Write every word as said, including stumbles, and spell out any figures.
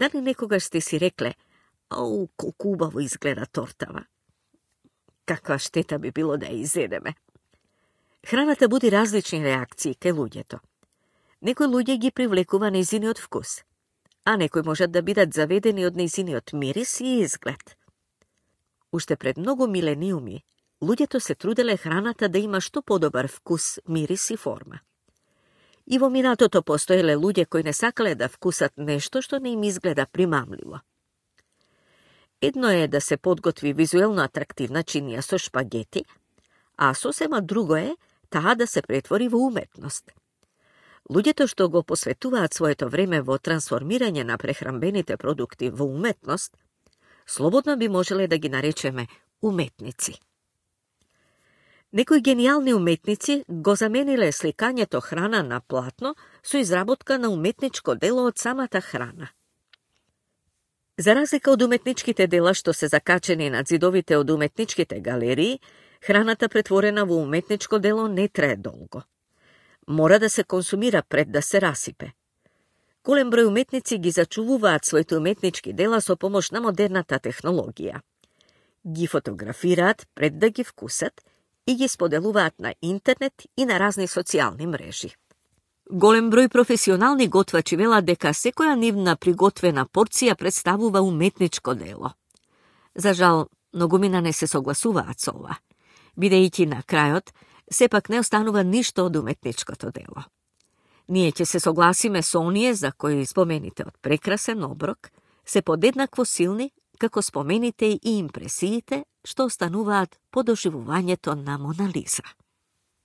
Da li nekoga ste si rekle, au, koliko ubavo izgleda tortava? Kakva šteta bi bilo da je izjedeme. Hraната буди различни реакции кај луѓето. Некои луѓе ги привлекува нејзиниот вкус, а некои можат да бидат заведени од нејзиниот мирис и изглед. Уште пред многу милениуми, луѓето се труделе храната да има што подобар вкус, мирис и форма. И во минатото постоеле луѓе кои не сакале да вкусат нешто што не им изгледа примамливо. Едно е да се подготви визуелно атрактивна чинија со шпагети, а сосема друго е таа да се претвори во уметност. Луѓето што го посветуваат своето време во трансформирање на прехранбените продукти во уметност, слободно би можеле да ги наречеме уметници. Некои гениални уметници го замениле сликањето храна на платно со изработка на уметничко дело од самата храна. За разлика од уметничките дела што се закачени над зидовите од уметничките галерии, храната претворена во уметничко дело не трае долго. Мора да се консумира пред да се расипе. Голем број уметници ги зачувуваат своите уметнички дела со помош на модерната технологија. Ги фотографираат пред да ги вкусат и ги споделуваат на интернет и на разни социјални мрежи. Голем број професионални готвачи велат дека секоја нивна приготвена порција представува уметничко дело. За жал, многумина не се согласуваат со ова, бидејќи на крајот сепак не останува ништо од уметничкото дело. Ние ќе се согласиме со оние за кои спомените од прекрасен оброк се подеднакво силни како спомените и импресиите што остануваат по доживувањето на Мона Лиза.